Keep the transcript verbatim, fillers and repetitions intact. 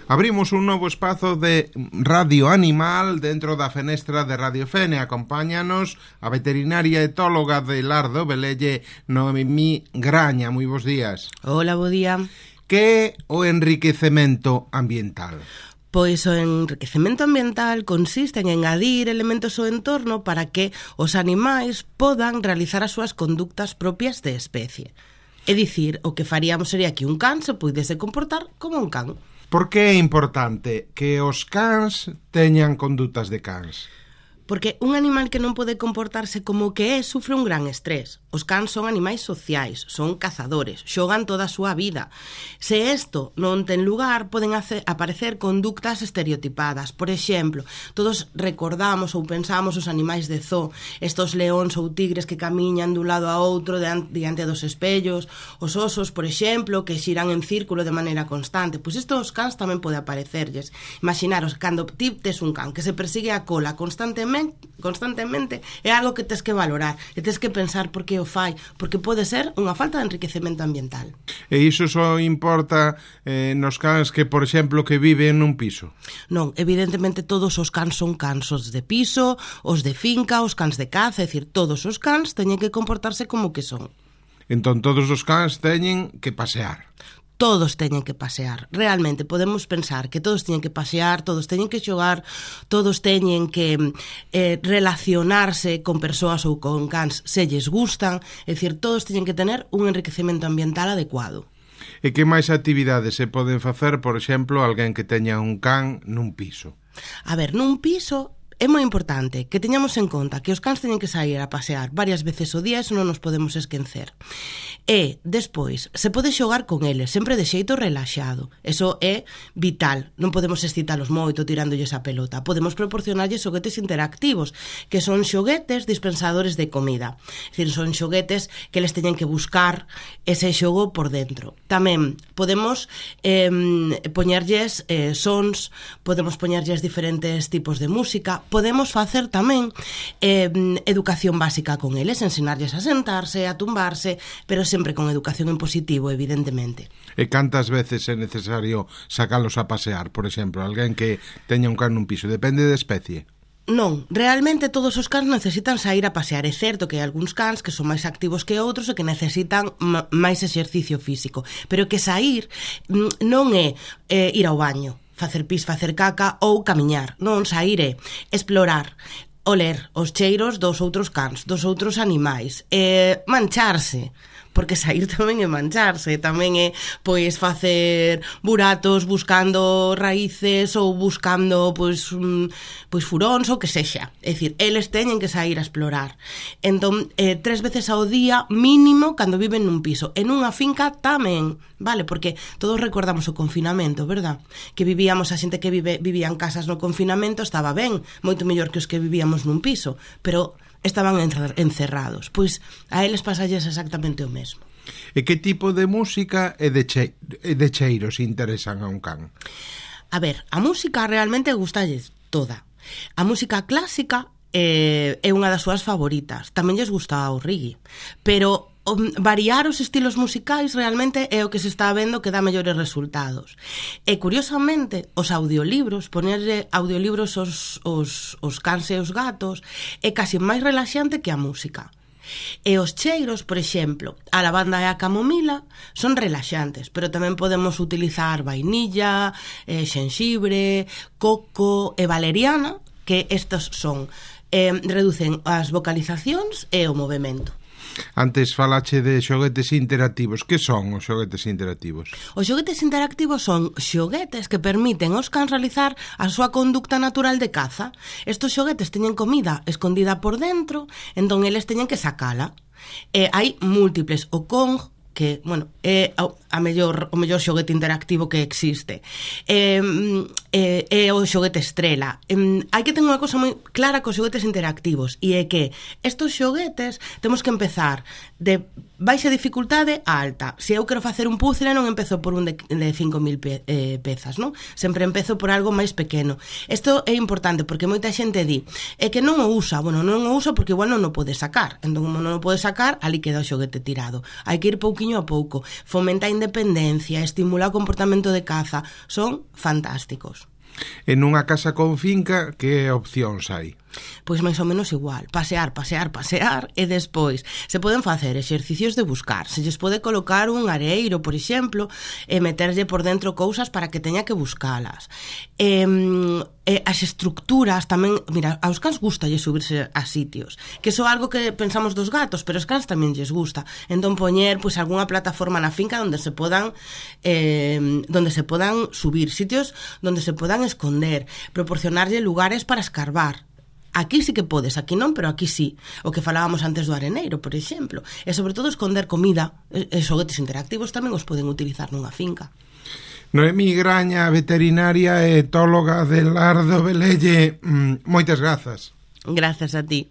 Abrimos un novo espazo de Radio Animal dentro da fenestra de Radio Fene. Acompáñanos a veterinaria etóloga de Lar do Velelle, Noemí Graña. Moi bons días. Hola, bo día. Que é o enriquecemento ambiental? Pois o enriquecemento ambiental consiste en engadir elementos ao entorno para que os animais podan realizar as súas conductas propias de especie. É dicir, o que faríamos sería que un can se puidese comportar como un can. Por que é importante que os cans teñan condutas de cans? Porque un animal que non pode comportarse como que é sufre un gran estrés. Os cans son animais sociais, son cazadores, xogan toda a súa vida. Se isto non ten lugar, poden hacer, aparecer conductas estereotipadas. Por exemplo, todos recordamos ou pensamos os animais de zoo, estos leóns ou tigres que camiñan dun lado a outro diante dos espellos, os osos, por exemplo, que xiran en círculo de maneira constante. Pois isto os cans tamén pode aparecerlles. Imaginaros, cando ti tes un can que se persigue a cola constantemente, constantemente, é algo que tes que valorar e tes que pensar por que o fai, porque pode ser unha falta de enriquecemento ambiental. E iso só importa eh, nos cans que, por exemplo, que viven nun piso? Non, evidentemente todos os cans son cans, os de piso, os de finca, os cans de caza, é dicir, todos os cans teñen que comportarse como que son. Entón todos os cans teñen que pasear. Todos teñen que pasear. Realmente podemos pensar que todos teñen que pasear, todos teñen que xogar, todos teñen que eh, relacionarse con persoas ou con cans se lles gustan, é dicir, todos teñen que tener un enriquecemento ambiental adecuado. E que máis actividades se poden facer, por exemplo, alguén que teña un can nun piso? A ver, nun piso é moi importante que teñamos en conta que os cans teñen que sair a pasear varias veces ao día, eso non nos podemos esquecer. E, despois, se pode xogar con eles, sempre de xeito relaxado. Eso é vital. Non podemos excitalos moito tirándolles a pelota. Podemos proporcionarlles xoguetes interactivos, que son xoguetes dispensadores de comida. É dicir, son xoguetes que les teñen que buscar ese xogo por dentro. Tamén podemos eh, poñerlles eh, sons, podemos poñerlles diferentes tipos de música, podemos facer tamén eh, educación básica con eles, ensinarlles a sentarse, a tumbarse, pero sempre con educación en positivo, evidentemente. E cantas veces é necesario sacalos a pasear? Por exemplo, alguén que teña un can nun piso, depende de especie? Non, realmente todos os cans necesitan sair a pasear. É certo que hai algúns cans que son máis activos que outros e que necesitan máis exercicio físico, pero que sair non é eh, ir ao baño, facer pis, facer caca ou camiñar. Non, sair é explorar, oler os cheiros dos outros cans, dos outros animais, e mancharse, porque sair tamén é mancharse, tamén é pois facer buratos buscando raíces ou buscando pois pois furóns ou que sexa. É dicir, eles teñen que sair a explorar. Entón, eh, tres veces ao día mínimo cando viven nun piso. En unha finca tamén, vale? Porque todos recordamos o confinamento, verdad? Que vivíamos, a xente que vive, vivía en casas no confinamento estaba ben, moito mellor que os que vivíamos nun piso, pero estaban encerrados. Pois a eles pasalles exactamente o mesmo. E que tipo de música e de, che, e de cheiros interesan a un can? A ver, a música realmente gustalles toda. A música clásica eh, é unha das súas favoritas. Tamén lles gusta o reggae. Pero um, variar os estilos musicais realmente é o que se está vendo que dá mellores resultados. E, curiosamente, os audiolibros, ponerle audiolibros aos, aos, aos cans e os gatos, é casi máis relaxante que a música. E os cheiros, por exemplo, a lavanda e a camomila son relaxantes, pero tamén podemos utilizar vainilla, eh, xenxibre, coco e valeriana, que estos son, eh, reducen as vocalizacións e o movemento. Antes falache de xoguetes interactivos. Que son os xoguetes interactivos? Os xoguetes interactivos son xoguetes que permiten aos cans realizar a súa conducta natural de caza. Estos xoguetes teñen comida escondida por dentro, entón eles teñen que sacala. E hai múltiples. O Kong, que, bueno, é a mellor, o mellor xoguete interactivo que existe. É, é, é o xoguete estrela. É, hai que ter unha cosa moi clara cos xoguetes interactivos, e é que estos xoguetes temos que empezar de baixa dificultade a alta. Se eu quero facer un puzzle non empezo por un de, de cinco mil pe, eh, pezas, non? Sempre empezo por algo máis pequeno. Isto é importante porque moita xente di é que non o usa, bueno, non o usa porque igual non o pode sacar. Entón, como non o pode sacar, ali queda o xoguete tirado. Hai que ir pouquiño a pouco. Fomenta a independencia, estimula o comportamento de caza. Son fantásticos. En unha casa con finca, que opcións hai? Pois máis ou menos igual, pasear, pasear, pasear e despois se poden facer exercicios de buscar, se lles pode colocar un areiro, por exemplo, e meterlle por dentro cousas para que teña que buscalas. E, e as estructuras tamén, mira, aos cans gusta lle subirse a sitios, que iso é algo que pensamos dos gatos, pero os cans tamén lles gusta. Entón poñer pois algunha plataforma na finca onde se podan eh, donde se podan subir, sitios donde se podan esconder, proporcionarlle lugares para escarbar. Aquí sí que podes, aquí non, pero aquí sí. O que falábamos antes do areneiro, por exemplo. E sobre todo esconder comida. E xoguetes interactivos tamén os poden utilizar nunha finca. Noemí Graña, veterinaria e etóloga de Lar do Velelle, moitas grazas. Grazas a ti.